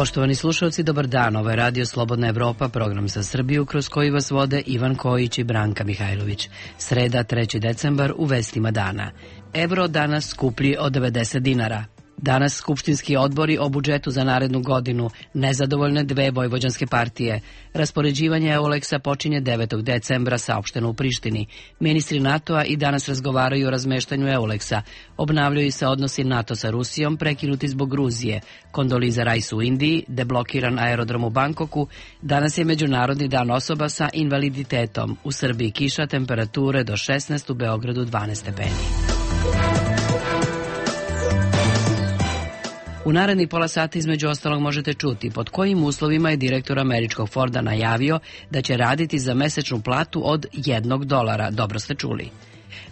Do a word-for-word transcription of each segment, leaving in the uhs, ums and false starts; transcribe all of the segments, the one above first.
Poštovani slušalci, dobar dan. Ovo je Radio Slobodna Evropa, program za Srbiju kroz koji vas vode Ivan Kojić i Branka Mihajlović. Sreda, treći decembar, u vestima dana. Evro danas skuplji od devedeset dinara. Danas skupštinski odbori o budžetu za narednu godinu, nezadovoljne dve vojvođanske partije. Raspoređivanje Euleksa počinje devetog decembra, saopšteno u Prištini. Ministri NATO-a i danas razgovaraju o razmeštanju Euleksa. Obnavljaju se odnosi NATO sa Rusijom, prekinuti zbog Gruzije. Kondoliza Rice u Indiji, deblokiran aerodrom u Bangkoku. Danas je Međunarodni dan osoba sa invaliditetom. U Srbiji kiša, temperature do šesnaest, u Beogradu dvanaest stepeni. U narednih pola sata između ostalog možete čuti pod kojim uslovima je direktor američkog Forda najavio da će raditi za mesečnu platu od jednog dolara. Dobro ste čuli.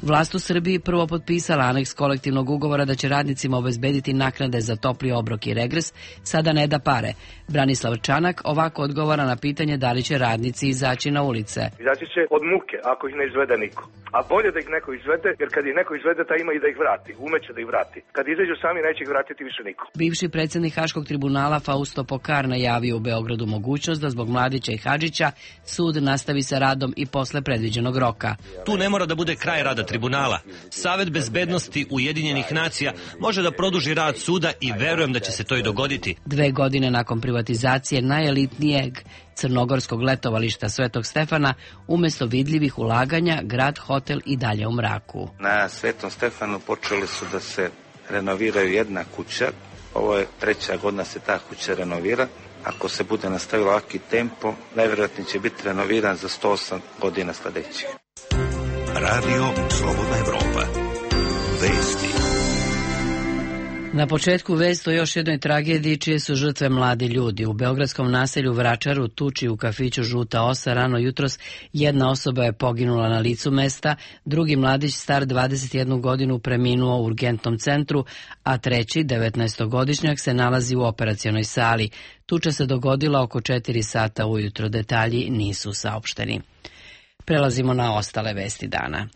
Vlast u Srbiji prvo potpisala aneks kolektivnog ugovora da će radnicima obezbediti naknade za topli obrok i regres, sada ne da pare. Branislav Čanak ovako odgovara na pitanje da li će radnici izaći na ulice. Izaći će od muke ako ih ne izvede niko. A bolje da ih neko izvede, jer kad ih neko izvede, ta ima i da ih vrati. Umeće da ih vrati. Kad izađu sami, neće ih vratiti više niko. Bivši predsjednik Haškog tribunala Fausto Pokar najavio u Beogradu mogućnost da zbog Mladića i Hadžića sud nastavi sa radom i posle predviđenog roka. Tu ne mora da bude kraj rada tribunala. Savet bezbednosti Ujedinjenih nacija može da produži rad suda i verujem da će se to i dogoditi. Dve godine nakon privatizacije najelitnijeg crnogorskog letovališta Svetog Stefana, umesto vidljivih ulaganja, grad hotel i dalje u mraku. Na Svetom Stefanu počeli su da se renoviraju jedna kuća. Ovo je treća godina se ta kuća renovira. Ako se bude nastavilo ovaki tempo, najvjerojatnije će biti renoviran za sto osam godina sledećih. Radio Slobodna Evropa. Vesti. Na početku vest o još jednoj tragediji čije su žrtve mladi ljudi. U beogradskom naselju Vračaru, tuči u kafiću Žuta osa, rano jutros jedna osoba je poginula na licu mesta, drugi mladić star dvadeset jednu godinu preminuo u urgentnom centru, a treći, devetnaestogodišnjak, se nalazi u operacionoj sali. Tuča se dogodila oko četiri sata ujutro, detalji nisu saopšteni. Prelazimo na ostale vesti dana.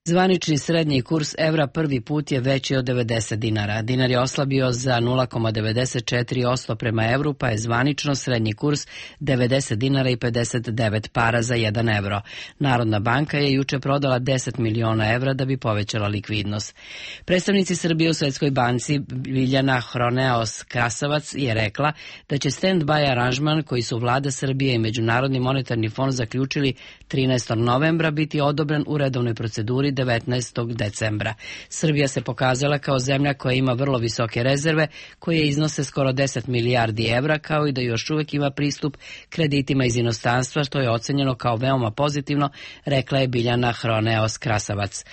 Zvanični srednji kurs evra prvi put je veći od devedeset dinara. Dinar je oslabio za nula zarez devedeset četiri posto prema evru, pa je zvanično srednji kurs devedeset dinara i pedeset devet para za jedan evro. Narodna banka je juče prodala deset miliona evra da bi povećala likvidnost. Predstavnici Srbije u Svetskoj banci Biljana Hroneos Krasovac je rekla da će stand-by aranžman koji su vlada Srbije i Međunarodni monetarni fond zaključili trinaestog novembra biti odobren u redovnoj proceduri devetnaestog decembra. Srbija se pokazala kao zemlja koja ima vrlo visoke rezerve, koje iznose skoro deset milijardi evra, kao i da još uvek ima pristup kreditima iz inostranstva, što je ocenjeno kao veoma pozitivno, rekla je Biljana Hroneos Krasovac.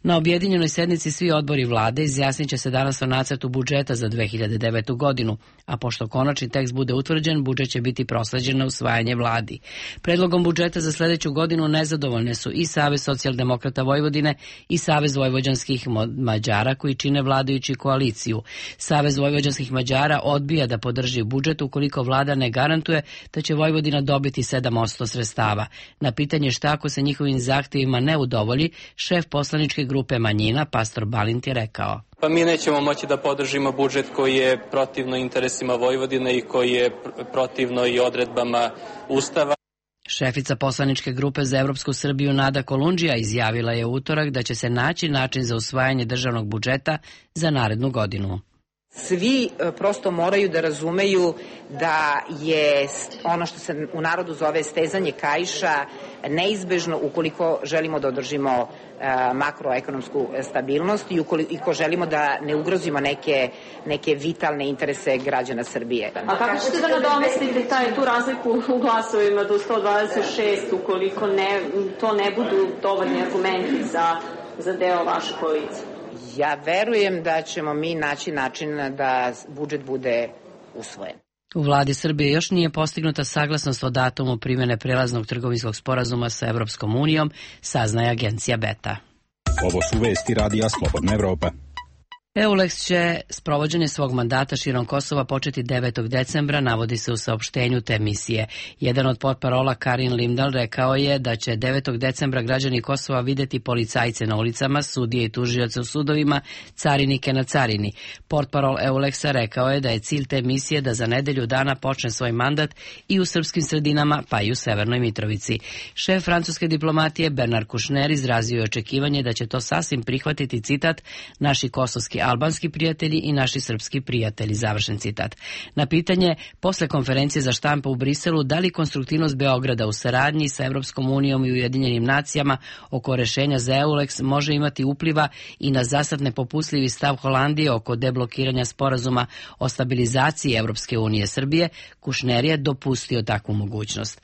Na objedinjenoj sednici svi odbori vlade izjasnit će se danas o nacrtu budžeta za dve hiljade devetu godinu, a pošto konačni tekst bude utvrđen, budžet će biti prosleđen na usvajanje vladi. Predlogom budžeta za sledeću godinu nezadovoljne su i Savez socijaldemokrata Vojvodine i Savez vojvođanskih Mađara koji čine vladajući koaliciju. Savez vojvođanskih Mađara odbija da podrži budžet ukoliko vlada ne garantuje da će Vojvodina dobiti sedam posto sredstava. Na pitanje šta ako se njihovim zahtevima ne udovolji, šef poslaničke grupe manjina, pastor Balint, je rekao: Pa mi nećemo moći da podržimo budžet koji je protivno interesima Vojvodine i koji je protivno i odredbama Ustava. Šefica poslaničke grupe za Evropsku Srbiju Nada Kolundžija izjavila je u utorak da će se naći način za usvajanje državnog budžeta za narednu godinu. Svi prosto moraju da razumeju da je ono što se u narodu zove stezanje kaiša neizbežno ukoliko želimo da održimo makroekonomsku stabilnost i ukoliko želimo da ne ugrozimo neke, neke vitalne interese građana Srbije. A kako ćete da nadomestite taj, tu razliku u glasovima do sto dvadeset šest ukoliko ne, to ne budu dovoljni argumenti za, za deo vaše koalicije? Ja verujem da ćemo mi naći način da budžet bude usvojen. U vladi Srbije još nije postignuta saglasnost o datumu primjene prelaznog trgovinskog sporazuma sa Evropskom unijom, saznaje agencija Beta. Ovo su vesti Radija Slobodna Evropa. EULEX će sprovođenje svog mandata širom Kosova početi devetog decembra, navodi se u saopštenju te misije. Jedan od portparola Karin Limdal rekao je da će devetog decembra građani Kosova videti policajce na ulicama, sudije i tužioce u sudovima, carinike na carini. Portparol EULEX-a rekao je da je cilj te misije da za nedelju dana počne svoj mandat i u srpskim sredinama, pa i u Severnoj Mitrovici. Šef francuske diplomatije Bernard Kouchner izrazio je očekivanje da će to sasvim prihvatiti, citat, naši kosovski albanski prijatelji i naši srpski prijatelji, završen citat. Na pitanje posle konferencije za štampu u Briselu da li konstruktivnost Beograda u saradnji sa Evropskom unijom i Ujedinjenim nacijama oko rešenja za EULEX može imati upliva i na zasad nepopustljivi stav Holandije oko deblokiranja sporazuma o stabilizaciji Evropske unije Srbije, Kouchner je dopustio takvu mogućnost.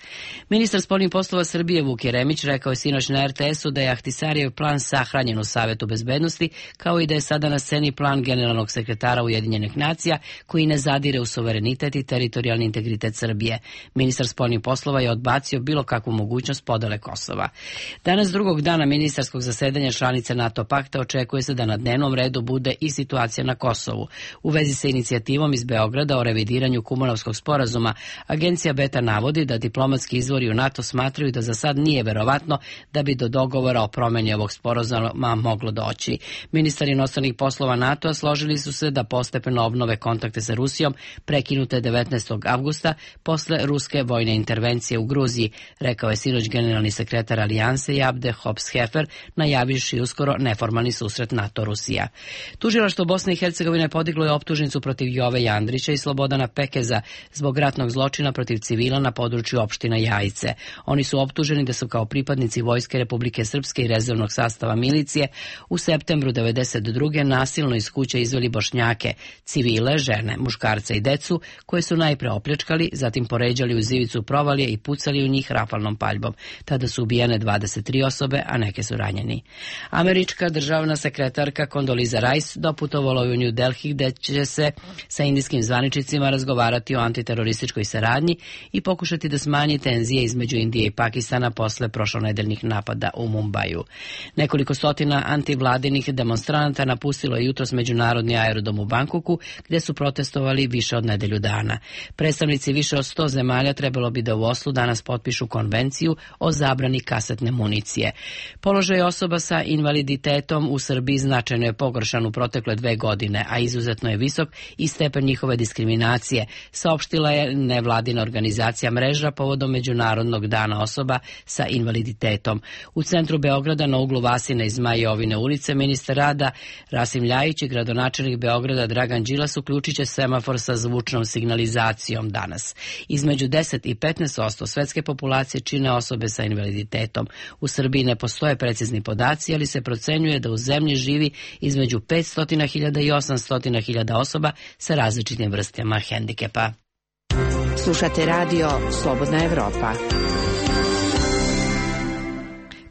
Ministar spoljnih poslova Srbije Vuk Jeremić rekao je sinoć na er te esu da je Ahtisarijev plan sahranjen u Savetu bezbednosti, kao i da je sada na sceni plan generalnog sekretara Ujedinjenih nacija koji ne zadire u suverenitet i teritorijalni integritet Srbije. Ministar spoljnih poslova je odbacio bilo kakvu mogućnost podele Kosova. Danas drugog dana ministarskog zasedanja članice NATO pakta očekuje se da na dnevnom redu bude i situacija na Kosovu. U vezi sa inicijativom iz Beograda o revidiranju Kumanovskog sporazuma, agencija Beta navodi da diplomatski izvori u NATO smatraju da za sad nije verovatno da bi do dogovora o promeni ovog sporazuma moglo doći. Ministar inostranih poslova NATO-a složili su se da postepeno obnove kontakte sa Rusijom prekinute devetnaestog avgusta posle ruske vojne intervencije u Gruziji, rekao je sinoć generalni sekretar Alijanse Jabde Hops-Hefer, najavivši uskoro neformalni susret NATO-Rusija. Tužilaštvo Bosne i Hercegovine podiglo je optužnicu protiv Jove Jandrića i Slobodana Pekeza zbog ratnog zločina protiv civila na području opština Jajice. Oni su optuženi da su kao pripadnici Vojske Republike Srpske i rezervnog sastava milicije u septembru devedeset druge nasilno iz kuće izveli Bošnjake, civile, žene, muškarce i decu, koje su najpre opljačkali, zatim poređali u zivicu provalije i pucali u njih rafalnom paljbom. Tada su ubijene dvadeset tri osobe, a neke su ranjeni. Američka državna sekretarka Condoleezza Rice doputovala u New Delhi, gde će se sa indijskim zvaničnicima razgovarati o antiterorističkoj saradnji i pokušati da smanji tenzije između Indije i Pakistana posle prošlonedeljnih napada u Mumbaju. Nekoliko stotina antivladinih demonstranata napustilo je jutros međunarodni aerodrom u Bankoku, gde su protestovali više od nedelju dana. Predstavnici više od sto zemalja trebalo bi da u Oslu danas potpišu konvenciju o zabrani kasetne municije. Položaj osoba sa invaliditetom u Srbiji značajno je pogoršan u protekle dve godine, a izuzetno je visok i stepen njihove diskriminacije, saopštila je nevladina organizacija Mreža povodom Međunarodnog dana osoba sa invaliditetom. U centru Beograda na uglu Vasine i Zmajovine ulice ministar rada Rasim Ljajić i gradonačelnik Beograda Dragan Đilas uključit će semafor sa zvučnom signalizacijom danas. Između deset i petnaest posto svetske populacije čine osobe sa invaliditetom. U Srbiji ne postoje precizni podaci, ali se procenjuje da u zemlji živi između petsto hiljada i osamsto hiljada osoba sa različitim vrstama hendikepa. Slušate radio Slobodna Evropa.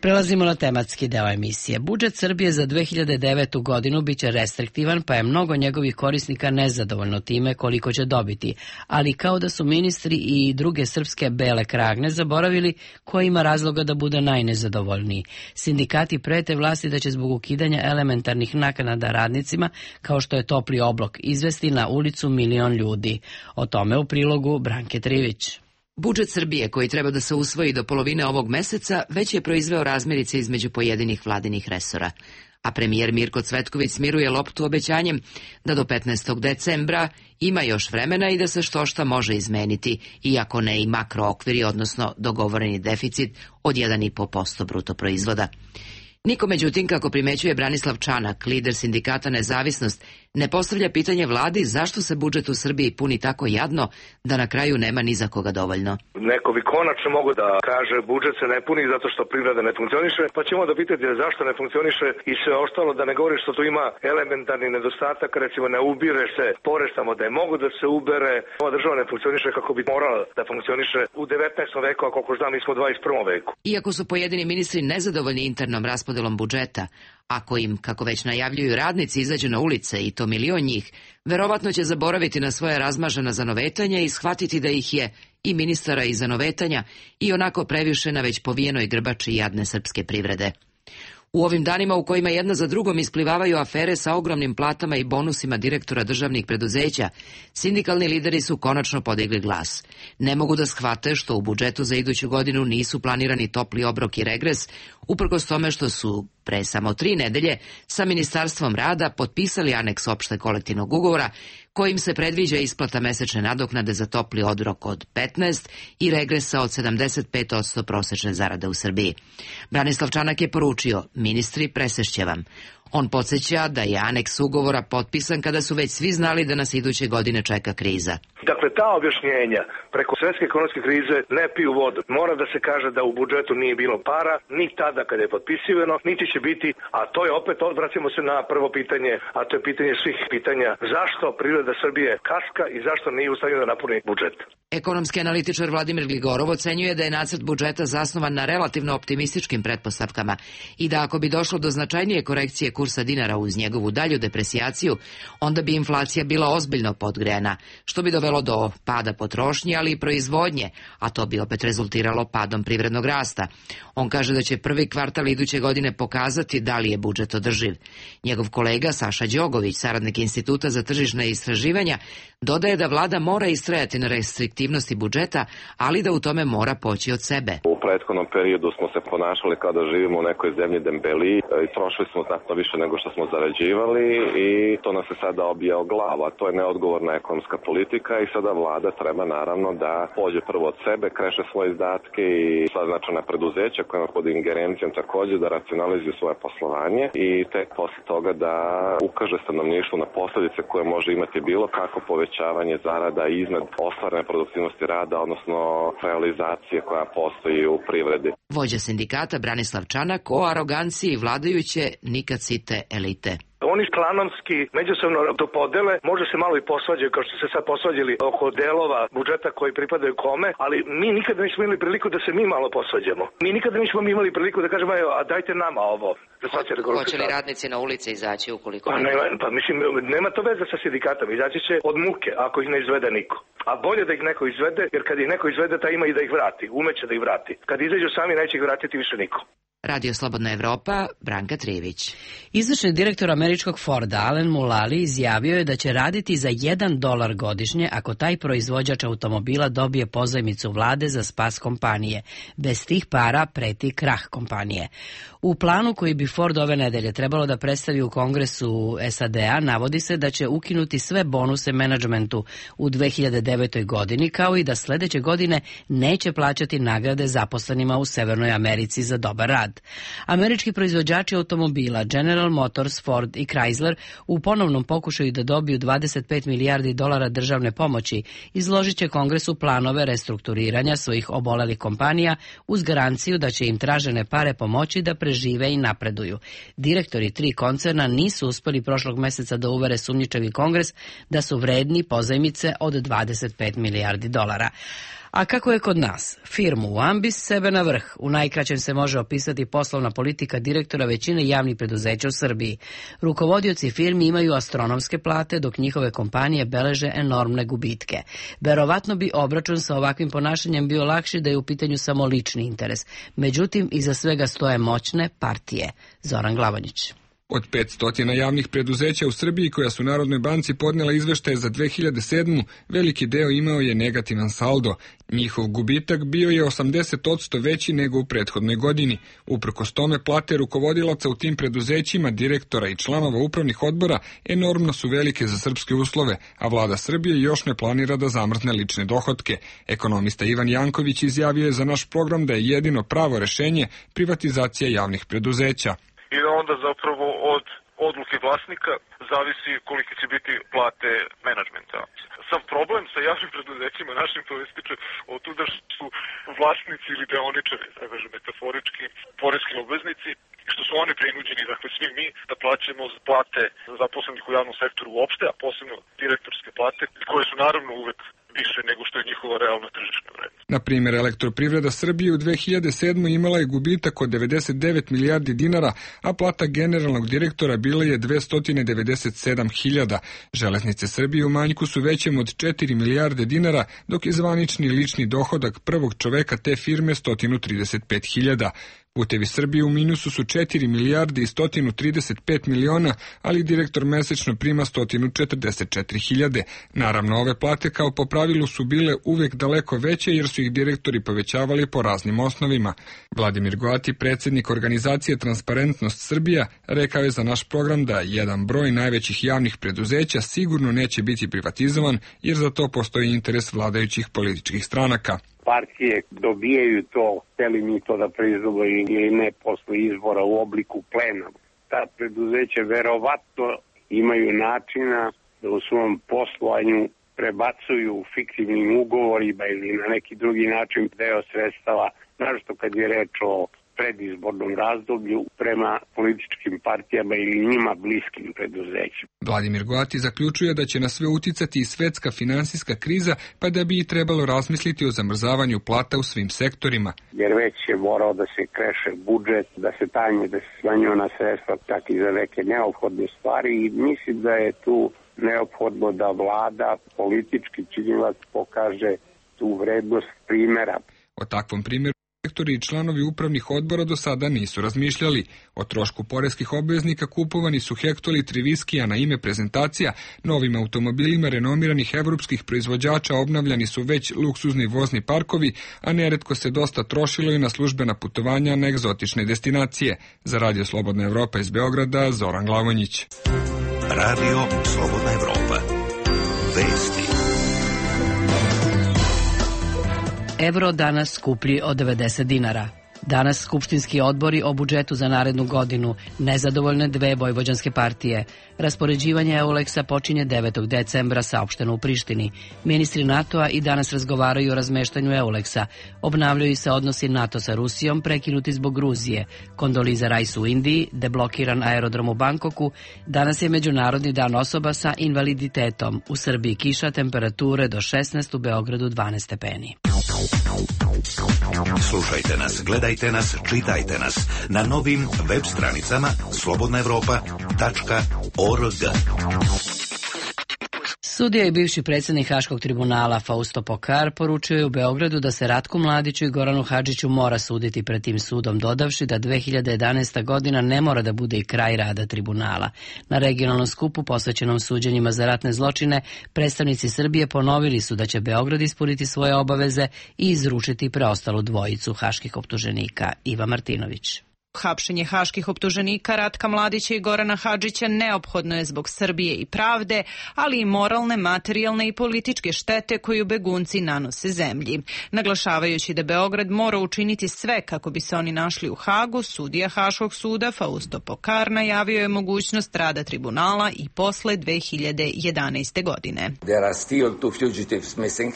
Prelazimo na tematski deo emisije. Budžet Srbije za dve hiljade devetu godinu biće restriktivan, pa je mnogo njegovih korisnika nezadovoljno time koliko će dobiti, ali kao da su ministri i druge srpske bele kragne zaboravili ko ima razloga da bude najnezadovoljniji. Sindikati prete vlasti da će zbog ukidanja elementarnih naknada radnicima, kao što je topli oblok, izvesti na ulicu milion ljudi. O tome u prilogu Branke Trivić. Budžet Srbije, koji treba da se usvoji do polovine ovog meseca, već je proizveo razmirice između pojedinih vladinih resora. A premijer Mirko Cvetković smiruje loptu obećanjem da do petnaestog decembra ima još vremena i da se štošta može izmeniti, iako ne i makrookviri, odnosno dogovoreni deficit od jedan i po posto bruto proizvoda. Niko, međutim, kako primećuje Branislav Čanak, lider sindikata Nezavisnost, ne postavlja pitanje vladi zašto se budžet u Srbiji puni tako jadno da na kraju nema ni za koga dovoljno. Neko bi konačno mogo da kaže budžet se ne puni zato što privreda ne funkcioniše, pa ćemo da pitati zašto ne funkcioniše i sve ostalo, da ne govori što tu ima elementarni nedostatak, recimo ne ubire se porez tamo da je mogo da se ubere. Ova država ne funkcioniše kako bi morala da funkcioniše u devetnaestom veku, a koliko znam mi smo u dvadeset prvom veku. Iako su pojedini ministri nezadovoljni internom raspodelom budžeta, ako im, kako već najavljuju, radnici izađu na ulice, i to milion njih, verovatno će zaboraviti na svoje razmažena zanovetanja i shvatiti da ih je i ministara i zanovetanja i onako previše na već povijenoj grbači jadne srpske privrede. U ovim danima u kojima jedna za drugom isplivavaju afere sa ogromnim platama i bonusima direktora državnih preduzeća, sindikalni lideri su konačno podigli glas. Ne mogu da shvate što u budžetu za iduću godinu nisu planirani topli obrok i regres, uprkos tome što su pre samo tri nedelje sa Ministarstvom rada potpisali aneks opšte kolektivnog ugovora kojim se predviđa isplata mesečne nadoknade za topli obrok od petnaest i regresa od sedamdeset pet posto prosečne zarade u Srbiji. Branislav Čanak je poručio, ministri, presešće vam. On podsjeća da je aneks ugovora potpisan kada su već svi znali da nas iduće godine čeka kriza. Dakle, ta objašnjenja preko svetske ekonomske krize ne piju vodu. Mora da se kaže da u budžetu nije bilo para, ni tada kada je potpisivano, niti će biti, a to je opet, odvraćamo se na prvo pitanje, a to je pitanje svih pitanja, zašto privreda Srbije kaska i zašto nije u stanju da napuni budžet. Ekonomski analitičar Vladimir Gligorov ocenjuje da je nacrt budžeta zasnovan na relativno optimističkim pretpostavkama i da ako bi došlo do značajnije korekcije kursa dinara uz njegovu dalju depresijaciju, onda bi inflacija bila ozbiljno podgrejana, što bi dovelo do pada potrošnje, ali i proizvodnje, a to bi opet rezultiralo padom privrednog rasta. On kaže da će prvi kvartal iduće godine pokazati da li je budžet održiv. Njegov kolega Saša Đogović, saradnik Instituta za tržišna istraživanja, dodaje da vlada mora istrajati na restriktivnosti budžeta, ali da u tome mora poći od sebe. U prethodnom periodu smo se ponašali kao da živimo u nekoj zemlji dembeliji i trošili smo znatno više nego što smo zarađivali i to nas se sada obija o glavu, a to je neodgovorna ekonomska politika i sada vlada treba naravno da pođe prvo od sebe, kreše svoje izdatke i sva značajna preduzeća koja ima pod ingerencijom takođe da racionalizuju svoje poslovanje i tek posle toga da ukaže stanovništvu na posledice koje može imati bilo kako povećavanje zarada iznad ostvarene produktivnosti rada, odnosno realizacije koja postoji u privredi. Vođa sindikata Branislav Čanak o aroganciji vladajuće nikad site elite. Oni klanomski međusobno to podele, može se malo i posvađaju, kao što se sad posvađali oko delova budžeta koji pripadaju kome, ali mi nikada nismo imali priliku da se mi malo posvađamo. Mi nikada nismo imali priliku da kažemo, a dajte nama ovo. Hoće li radnici na ulici izaći ukoliko? Pa, ne, pa mislim, nema to veze sa sindikatom, izaći će od muke ako ih ne izvede niko. A bolje da ih neko izvede, jer kad ih neko izvede, ta ima i da ih vrati, umeće da ih vrati. Kad izađu sami, neće ih vratiti više niko. Radio Slobodna Evropa, Branka Trijević. Izvršni direktor američkog Forda, Alen Mulally, izjavio je da će raditi za jedan dolar godišnje ako taj proizvođač automobila dobije pozajmicu vlade za spas kompanije. Bez tih para preti krah kompanije. U planu koji bi Ford ove nedelje trebalo da predstavi u Kongresu S A D-a navodi se da će ukinuti sve bonuse menadžmentu u dve hiljade devetoj godini, kao i da sledeće godine neće plaćati nagrade zaposlenima u Severnoj Americi za dobar rad. Američki proizvođači automobila General Motors, Ford i Chrysler u ponovnom pokušaju da dobiju dvadeset pet milijardi dolara državne pomoći izložit će Kongresu planove restrukturiranja svojih obolelih kompanija uz garanciju da će im tražene pare pomoći da prežive i napreduju. Direktori tri koncerna nisu uspeli prošlog meseca da uvere sumnjičavi Kongres da su vredni pozajmice od dvadeset pet milijardi dolara. A kako je kod nas? Firmu u ambis, sebe na vrh. U najkraćem se može opisati poslovna politika direktora većine javnih preduzeća u Srbiji. Rukovodioci firmi imaju astronomske plate, dok njihove kompanije beleže enormne gubitke. Verovatno bi obračun sa ovakvim ponašanjem bio lakši da je u pitanju samo lični interes. Međutim, iza svega stoje moćne partije. Zoran Glavonjić. Od petsto javnih preduzeća u Srbiji koja su Narodnoj banci podnela izveštaje za dve hiljade sedmu, veliki deo imao je negativan saldo. Njihov gubitak bio je osamdeset posto veći nego u prethodnoj godini. Uprkos tome, plate rukovodilaca u tim preduzećima, direktora i članova upravnih odbora enormno su velike za srpske uslove, a vlada Srbije još ne planira da zamrzne lične dohotke. Ekonomista Ivan Janković izjavio je za naš program da je jedino pravo rešenje privatizacija javnih preduzeća. I da onda zapravo od odluke vlasnika zavisi kolike će biti plate menadžmenta. Sam problem sa javnim preduzećima našim proističe od tuda što su vlasnici ili deoničari, da kažem metaforički, poreski obveznici, što su oni prinuđeni, dakle svi mi, da plaćamo plate zaposlenih u javnom sektoru uopšte, a posebno direktorske plate, koje su naravno uvek više nego što je njihova realna tržišna vrednost. Na primjer, Elektroprivreda Srbije u dve hiljade sedmoj imala je gubitak od devedeset devet milijardi dinara, a plata generalnog direktora bila je dvesta devedeset sedam hiljada. Železnice Srbije u manjku su većem od četiri milijarde dinara, dok je zvanični lični dohodak prvog čoveka te firme sto trideset pet hiljada. Putevi Srbije u minusu su četiri milijarde i sto trideset pet miliona, ali direktor mesečno prima sto četrdeset četiri hiljade. Naravno, ove plate kao po pravilu su bile uvek daleko veće jer su ih direktori povećavali po raznim osnovima. Vladimir Goati, predsjednik organizacije Transparentnost Srbija, rekao je za naš program da jedan broj najvećih javnih preduzeća sigurno neće biti privatizovan jer za to postoji interes vladajućih političkih stranaka. Partije dobijaju to, hteli mi to da proizvode ili ne posle izbora u obliku plena. Ta preduzeća verovatno imaju načina da u svom poslovanju prebacuju fiktivnim ugovorima ili na neki drugi način deo sredstava, naročito kad je reč o predizbornom razdoblju prema političkim partijama ili njima bliskim preduzećima. Vladimir Goati zaključuje da će na sve uticati i svetska finansijska kriza, pa da bi i trebalo razmisliti o zamrzavanju plata u svim sektorima. Jer već je morao da se kreše budžet, da se tanje, da se smanjuje na sredstva čak i za neke neophodne stvari i mislim da je tu neophodno da vlada politički činilac pokaže tu vrednost primjera. O takvom primjeru direktori i članovi upravnih odbora do sada nisu razmišljali. O trošku poreskih obveznika kupovani su hektolitri viskija na ime prezentacija, novim automobilima renomiranih evropskih proizvođača obnavljani su već luksuzni vozni parkovi, a neretko se dosta trošilo i na službena putovanja na egzotične destinacije. Za Radio Slobodna Evropa iz Beograda, Zoran Glavonjić. Radio Slobodna Evropa. Vesti. Evro danas skuplji od devedeset dinara. Danas skupštinski odbori o budžetu za narednu godinu, nezadovoljne dve vojvođanske partije. Raspoređivanje Euleksa počinje devetog decembra, saopšteno u Prištini. Ministri NATO-a i danas razgovaraju o razmeštanju Euleksa. Obnavljaju se odnosi NATO sa Rusijom, prekinuti zbog Gruzije. Kondoliza Rice u Indiji, deblokiran aerodrom u Bankoku. Danas je Međunarodni dan osoba sa invaliditetom. U Srbiji kiša, temperature do šesnaest, u Beogradu dvanaest stepeni. Slušajte nas, gledajte nas, čitajte nas na novim web stranicama slobodna evropa tačka org. Sudija i bivši predsjednik Haškog tribunala Fausto Pokar poručio je u Beogradu da se Ratku Mladiću i Goranu Hadžiću mora suditi pred tim sudom, dodavši da dve hiljade jedanaesta godina ne mora da bude i kraj rada tribunala. Na regionalnom skupu posvećenom suđenjima za ratne zločine, predstavnici Srbije ponovili su da će Beograd ispuniti svoje obaveze i izručiti preostalu dvojicu haških optuženika. Iva Martinović. Hapšenje haških optuženika Ratka Mladića i Gorana Hadžića neophodno je zbog Srbije i pravde, ali i moralne, materijalne i političke štete koju begunci nanose zemlji. Naglašavajući da Beograd mora učiniti sve kako bi se oni našli u Hagu, sudija Haškog suda Fausto Pokar najavio je mogućnost rada tribunala i posle dve hiljade jedanaeste. godine.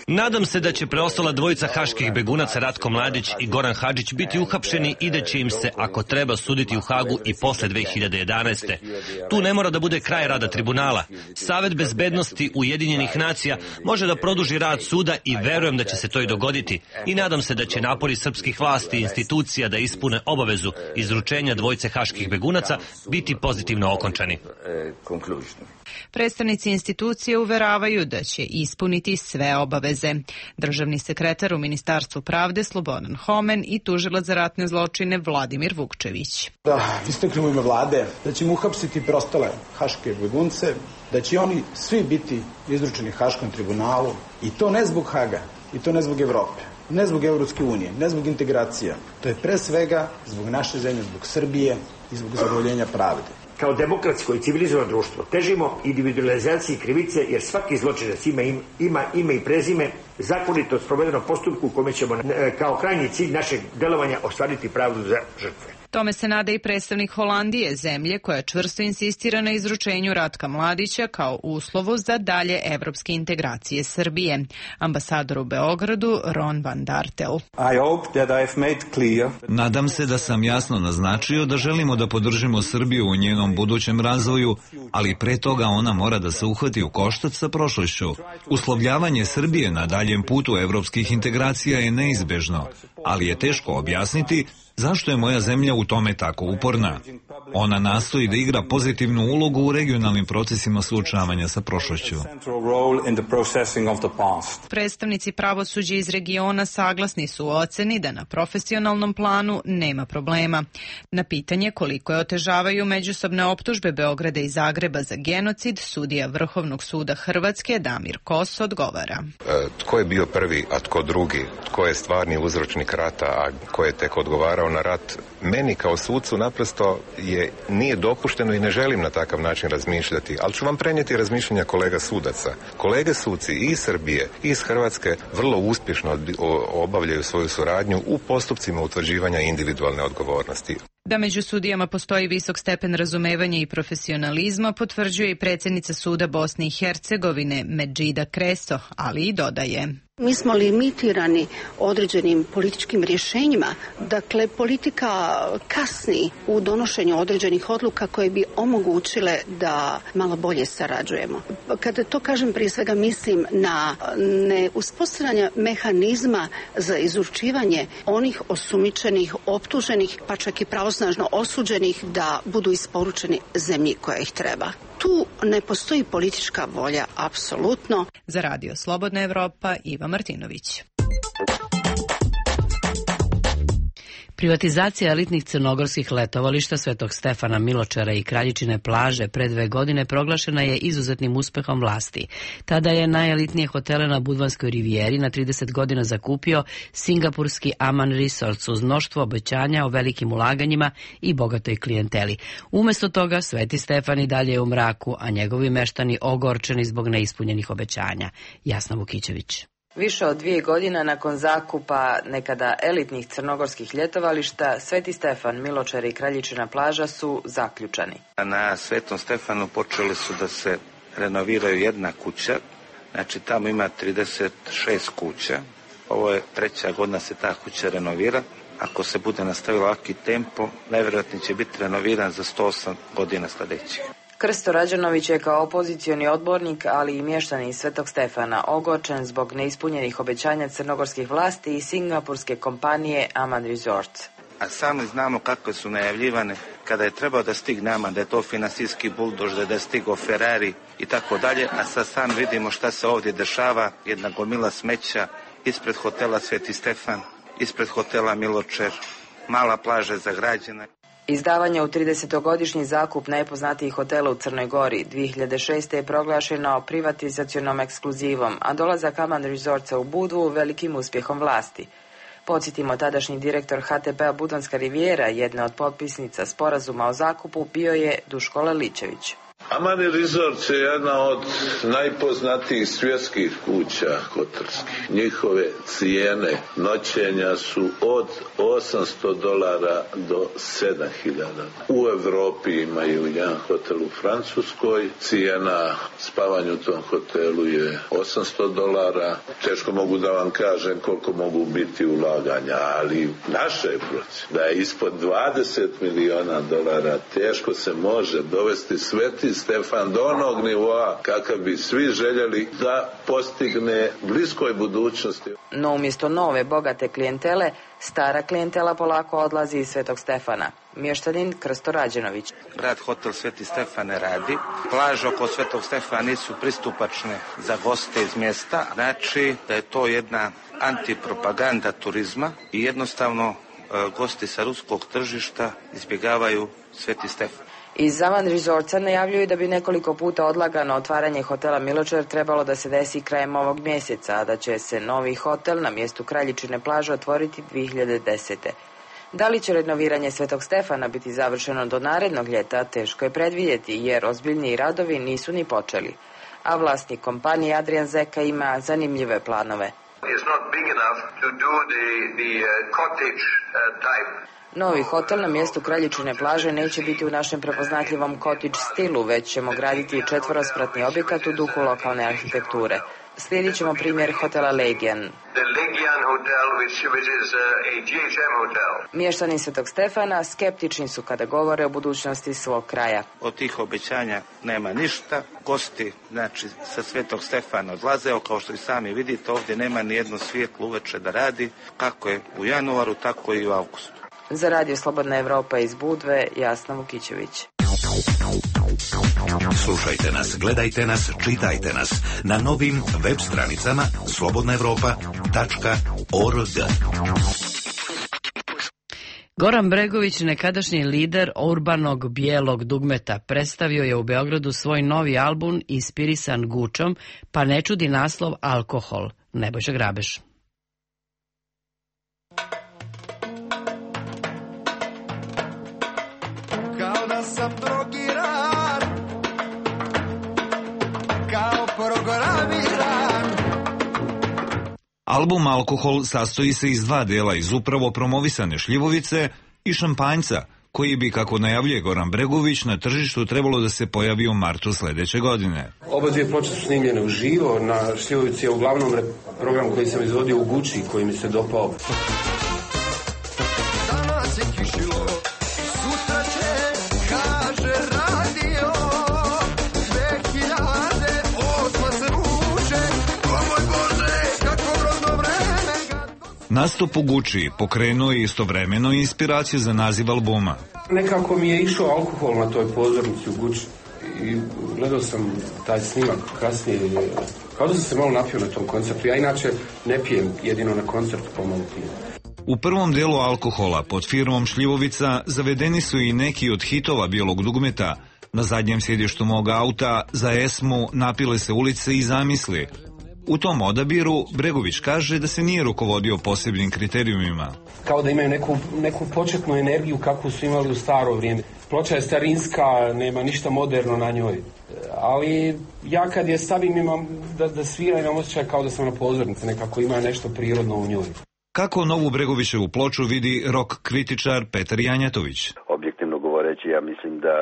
Nadam se da će preostala dvojica haških begunaca Ratko Mladić i Goran Hadžić biti uhapšeni i da će im se, ako treba, suditi u Hagu i posle dve hiljade jedanaeste. Tu ne mora da bude kraj rada tribunala. Savet bezbednosti Ujedinjenih nacija može da produži rad suda i verujem da će se to i dogoditi. I nadam se da će napori srpskih vlasti i institucija da ispune obavezu izručenja dvojice haških begunaca biti pozitivno okončani. Predstavnici institucije uveravaju da će ispuniti sve obaveze. Državni sekretar u Ministarstvu pravde Slobodan Homen i tužilac za ratne zločine Vladimir Vukčević. Da istaknem u ime vlade da ćemo uhapsiti preostale haške begunce, da će oni svi biti izručeni Haškom tribunalu i to ne zbog Haga i to ne zbog Evrope, ne zbog Evropske unije, ne zbog integracija. To je pre svega zbog naše zemlje, zbog Srbije i zbog zadovoljenja pravde. Kao demokratsko i civilizovano društvo težimo individualizaciji krivice jer svaki zločinac ima, ima ime i prezime, zakonito sprovedenom postupku u kome ćemo kao krajnji cilj našeg delovanja ostvariti pravdu za žrtve. Tome se nada i predstavnik Holandije, zemlje koja čvrsto insistira na izručenju Ratka Mladića kao uslovu za dalje evropske integracije Srbije. Ambasador u Beogradu Ron van Dartel. Nadam se da sam jasno naznačio da želimo da podržimo Srbiju u njenom budućem razvoju, ali pre toga ona mora da se uhvati u koštac sa prošlošću. Uslovljavanje Srbije na daljem putu evropskih integracija je neizbežno, ali je teško objasniti zašto je moja zemlja u tome tako uporna. Ona nastoji da igra pozitivnu ulogu u regionalnim procesima suočavanja sa prošlošću. Predstavnici pravosuđa iz regiona saglasni su u oceni da na profesionalnom planu nema problema. Na pitanje koliko je otežavaju međusobne optužbe Beograda i Zagreba za genocid, sudija Vrhovnog suda Hrvatske Damir Kos odgovara. E, tko je bio prvi, a tko drugi? Tko je stvarni uzročnik rata, a ko je tek odgovarao na rat? Meni kao sucu naprosto je, nije dopušteno i ne želim na takav način razmišljati, ali ću vam prenijeti razmišljanja kolega sudaca. Kolege suci i iz Srbije i iz Hrvatske vrlo uspješno obavljaju svoju suradnju u postupcima utvrđivanja individualne odgovornosti. Da među sudijama postoji visok stepen razumevanja i profesionalizma, potvrđuje i predsjednica suda Bosne i Hercegovine Medžida Kreso, ali i dodaje. Mi smo limitirani određenim političkim rješenjima. Dakle, politika kasni u donošenju određenih odluka koje bi omogućile da malo bolje sarađujemo. Kada to kažem, prije svega mislim na neuspostavljanje mehanizma za izručivanje onih osumnjičenih, optuženih, pa čak i pravosnažno osuđenih da budu isporučeni zemlji koja ih treba. Tu ne postoji politička volja, apsolutno. Za Radio Slobodna Evropa, Iva Martinović. Privatizacija elitnih crnogorskih letovališta Svetog Stefana Miločara i Kraljičine plaže pre dve godine proglašena je izuzetnim uspehom vlasti. Tada je najelitnije hotele na Budvanskoj rivijeri na trideset godina zakupio singapurski Aman Resorts uz mnoštvo obećanja o velikim ulaganjima i bogatoj klijenteli. Umesto toga Sveti Stefan i dalje je u mraku, a njegovi meštani ogorčeni zbog neispunjenih obećanja. Jasna Vukićević. Više od dvije godina nakon zakupa nekada elitnih crnogorskih ljetovališta, Sveti Stefan, Miločar i Kraljičina plaža su zaključani. Na Svetom Stefanu počeli su da se renoviraju jedna kuća, znači tamo ima trideset šest kuća. Ovo je treća godina se ta kuća renovira. Ako se bude nastavilo ovaki tempo, najvjerojatnije će biti renoviran za sto osam godina sljedećih. Krsto Rađanović je kao opozicioni odbornik, ali i mještanin Svetog Stefana, ogorčen zbog neispunjenih obećanja crnogorskih vlasti i singapurske kompanije Aman Resorts. A sami znamo kakve su najavljivane kada je trebao da stigne Aman, da je to finansijski buldož, da je stigao Ferrari i tako dalje, a sad sam vidimo šta se ovdje dešava, jedna gomila smeća ispred hotela Sveti Stefan, ispred hotela Miločar, mala plaža zagrađena. Izdavanje u tridesetogodišnji zakup najpoznatijih hotela u Crnoj Gori dvije hiljade šeste. je proglašeno privatizacionom ekskluzivom, a dolazak Aman Resortsa u Budvu velikim uspjehom vlasti. Podsjetimo, tadašnji direktor H T P-a Budvanska rivijera, jedna od potpisnica sporazuma o zakupu, bio je Duško Laličević. Aman Resort je jedna od najpoznatijih svjetskih kuća hotelskih. Njihove cijene noćenja su od osamsto dolara do sedam hiljada. U Evropi imaju jedan hotel u Francuskoj. Cijena spavanja u tom hotelu je osamsto dolara. Teško mogu da vam kažem koliko mogu biti ulaganja, ali naše je procjena da je ispod dvadeset miliona dolara teško se može dovesti Sveti Stefan do onog nivoa kakav bi svi željeli da postigne bliskoj budućnosti. No umjesto nove bogate klijentele, stara klijentela polako odlazi iz Svetog Stefana. Mještanin Krsto Rađenović. Grad hotel Sveti Stefan ne radi. Plaže oko Svetog Stefana nisu pristupačne za goste iz mjesta. Znači da je to jedna antipropaganda turizma i jednostavno gosti sa ruskog tržišta izbjegavaju Sveti Stefan. Iz Aman Resortsa najavljuju da bi nekoliko puta odlagano otvaranje hotela Miločar trebalo da se desi krajem ovog mjeseca, a da će se novi hotel na mjestu Kraljičine plaže otvoriti dvije hiljade desete. Da li će renoviranje Svetog Stefana biti završeno do narednog ljeta, teško je predvidjeti, jer ozbiljniji radovi nisu ni počeli. A vlasnik kompanije Adrian Zeka ima zanimljive planove. Novi hotel na mjestu Kraljičine plaže neće biti u našem prepoznatljivom cottage stilu, već ćemo graditi četvorospratni objekat u duhu lokalne arhitekture. Slijedit ćemo primjer hotela Legian. Mještani Svetog Stefana skeptični su kada govore o budućnosti svog kraja. Od tih obećanja nema ništa. Gosti, znači, sa Svetog Stefana odlaze, kao što i sami vidite, ovdje nema ni jedno svijetlo uveče da radi, kako je u januaru, tako i u avgustu. Za Radio Slobodna Evropa iz Budve, Jasna Vukićević. Slušajte nas, gledajte nas, čitajte nas na novim web stranicama slobodna evropa tačka org. Goran Bregović, nekadašnji lider urbanog bijelog dugmeta, predstavio je u Beogradu svoj novi album inspirisan Gučom, pa ne čudi naslov Alkohol. Nebojša Grabeš. Kao da sam drogiran, kao programiran. Album Alkohol sastoji se iz dva dela, iz upravo promovisane šljivovice i šampanjca, koji bi, kako najavljuje Goran Bregović, na tržištu trebalo da se pojavi u martu sledeće godine. Oba dvije ploče su snimljene uživo, na šljivovici je uglavnom program koji sam izvodio u Guči, koji mi se dopao. Danas je kišilo, sutra će, kaže radio, dve hiljade osma se ruže, o moj Bože, kako rodno vreme. Nastup u Guči pokrenuo je istovremeno inspiraciju za naziv albuma. Nekako mi je išao alkohol na toj pozornici u Guči i gledao sam taj snimak kasnije, kao da sam se malo napio na tom koncertu. Ja inače ne pijem, jedino na koncertu pomalo pijem. U prvom delu Alkohola pod firmom Šljivovica zavedeni su i neki od hitova bijelog dugmeta. Na zadnjem sjedištu mog auta za Esmu Napile se ulice i Zamisli. U tom odabiru Bregović kaže da se nije rukovodio posebnim kriterijumima. Kao da imaju neku, neku početnu energiju kakvu su imali u staro vrijeme. Ploča je starinska, nema ništa moderno na njoj. Ali ja kad je stavim imam da, da svira, imam osjećaj kao da sam na pozornici, nekako ima nešto prirodno u njoj. Kako novu Bregovićevu ploču vidi rock kritičar Petar Janjatović? Objektivno govoreći, ja mislim da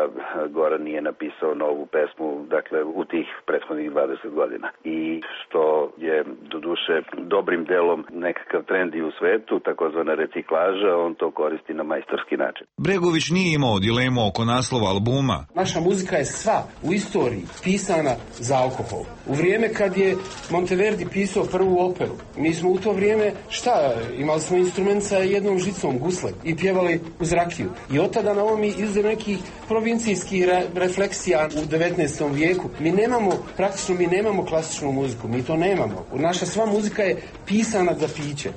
Goran nije napisao novu pesmu, dakle, u tih prethodnih dvadeset godina. I što je, doduše, dobrim delom nekakav trend i u svetu, takozvana reciklaža, on to koristi na majstorski način. Bregović nije imao dilemu oko naslova albuma. Naša muzika je sva u istoriji pisana za alkohol. U vrijeme kad je Monteverdi pisao prvu operu, mi smo u to vrijeme, šta, imali smo instrument sa jednom žicom, gusle, i pjevali uz rakiju. I od tada na ovom izuzev nekih provincijskih re, refleksija u devetnaestom vijeku. Mi nemamo, praktično mi nemamo klasičnu muziku, mi to nemamo. Naša sva muzika je pisana za piće.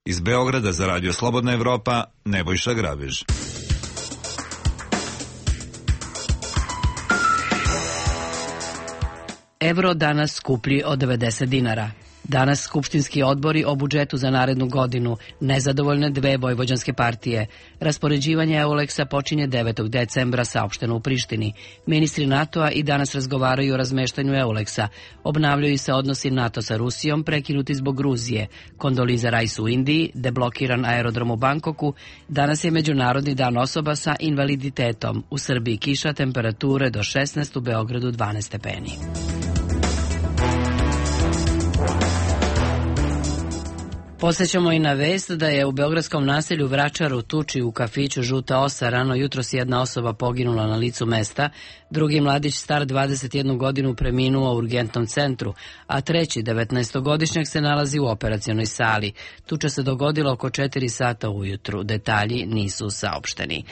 Iz Beograda za Radio Slobodna Evropa, Nebojša Grabež. Evro danas skuplji od devedeset dinara. Danas skupštinski odbori o budžetu za narednu godinu, nezadovoljne dve vojvođanske partije. Raspoređivanje Euleksa počinje devetog decembra, saopšteno u Prištini. Ministri NATO-a i danas razgovaraju o razmeštanju Euleksa. Obnavljaju se odnosi NATO sa Rusijom, prekinuti zbog Gruzije. Kondoliza Rice u Indiji, deblokiran aerodrom u Bankoku. Danas je Međunarodni dan osoba sa invaliditetom. U Srbiji kiša, temperature do šesnaest, u Beogradu dvanaest stepeni. Posjećamo i na vest da je u beogradskom naselju Vračaru tuči u kafiću Žuta osa rano jutros jedna osoba poginula na licu mesta, drugi mladić star dvadeset jednu godinu preminuo u urgentnom centru, a treći devetnaestogodišnjak se nalazi u operacionoj sali. Tuča se dogodila oko četiri sata ujutru, detalji nisu saopšteni.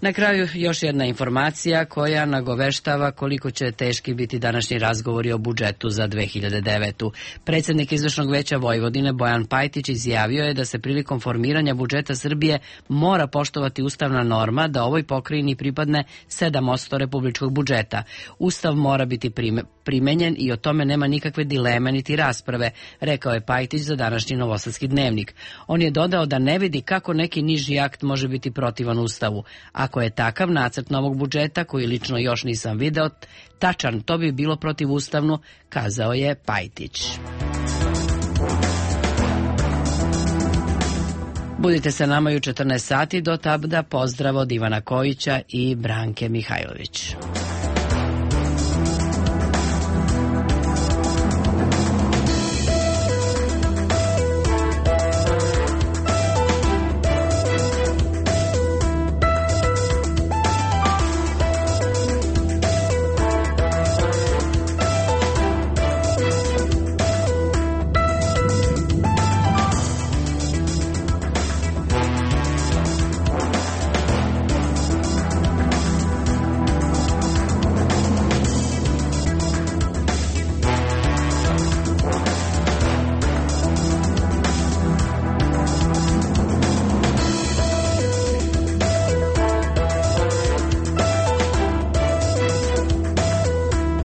Na kraju još jedna informacija koja nagoveštava koliko će teški biti današnji razgovori o budžetu za dve hiljade devetu. Predsjednik Izvršnog veća Vojvodine Bojan Pajtić izjavio je da se prilikom formiranja budžeta Srbije mora poštovati ustavna norma da ovoj pokrajini pripadne sedam posto republičkog budžeta. Ustav mora biti prime, primenjen i o tome nema nikakve dileme niti rasprave, rekao je Pajtić za današnji Novosadski dnevnik. On je dodao da ne vidi kako neki niži akt može biti protivan Ustavu. Ako je takav nacrt novog budžeta, koji lično još nisam video, tačan, to bi bilo protivustavno, kazao je Pajtić. Budite sa nama i u četrnaest sati, do tada pozdrav od Ivana Kojića i Branke Mihajlović.